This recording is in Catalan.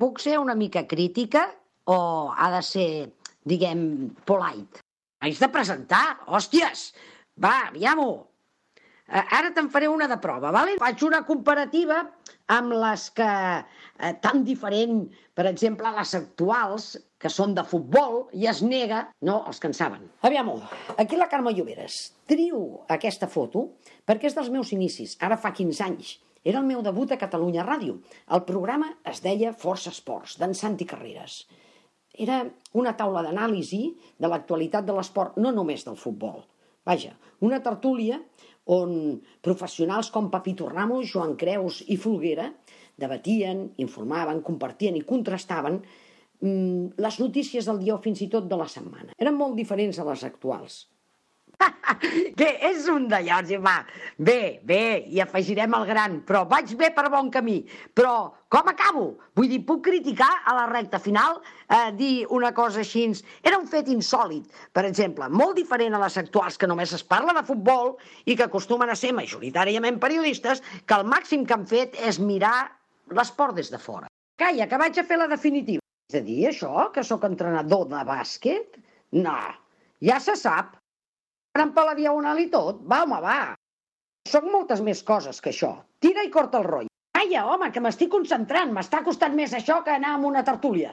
puc ser una mica crítica o ha de ser, diguem, polite? Haig de presentar, hòsties! Va, aviam-ho! Ara te'n faré una de prova, vale? Faig una comparativa amb les que, tan diferent, per exemple, les actuals, que són de futbol, i es nega, no, els que en saben. Aviam-ho, aquí la Carme Lloberes. Trio aquesta foto perquè és dels meus inicis, ara fa 15 anys. Era el meu debut a Catalunya Ràdio. El programa es deia Força Esports, d'en Santi Carreras. Era una taula d'anàlisi de l'actualitat de l'esport, no només del futbol. Vaja, una tertúlia on professionals com Papito Ramos, Joan Creus i Folguera debatien, informaven, compartien i contrastaven les notícies del dia o fins i tot de la setmana. Eren molt diferents a les actuals. Que és un d'allòs, va. Bé, i afegirem el gran, però vaig bé per bon camí. Però com acabo? Vull dir, puc criticar a la recta final, dir una cosa així. Era un fet insòlid, per exemple, molt diferent a les actuals, que només es parla de futbol i que acostumen a ser majoritàriament periodistes, que el màxim que han fet és mirar l'esport des de fora. Calla, que vaig a fer la definitiva. És a dir, això, que sóc entrenador de bàsquet? No, ja se sap. Anant per la diagonal i tot? Va, home, va. Soc moltes més coses que això. Tira i corta el rotllo. Calla, home, que m'estic concentrant. M'està costant més això que anar a una tertúlia.